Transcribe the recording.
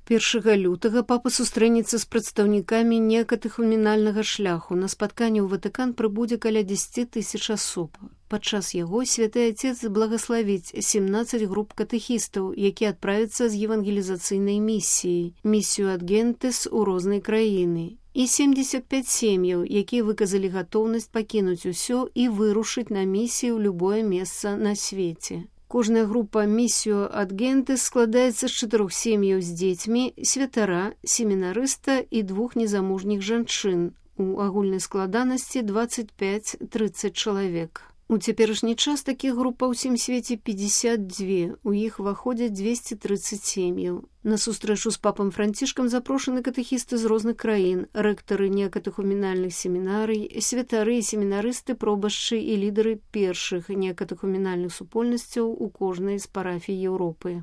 1 лютага папа сустрэнецца з прадстаўнікамі неакатэхуменальнага шляху. На спатканне ў Ватыкан прыбудзе каля 10 000 асоб. Падчас яго святы Отец благаславіць 17 груп катэхістаў, якія адправяцца з евангелізацыйнай місіяй, місію ад Гентес у рознай краіны, і 75 сем'яў, якія выказалі гатоўнасць пакінуць усё і вырушыць на місію ў любое месца на свеце. Кожная група місію ад Гентес складаецца з 4 сем'яў з дзецьмі, святара, семінарыста і 2 незамужніх жанчын. У агульнай складанасці 25-30 чалавек. У цяперашні час такіх груп па ўсім свеце 52, у іх уваходзяць 230 сем'яў. На сустрэчу з папам Францішкам запрошаны катэхісты з розных краін, рэктары неакатэхуменальных семінарый, святары і семінарысты, пробашчы і лідары першых неакатэхуменальных супольнасцяў у кожнай з парафій Еўропы.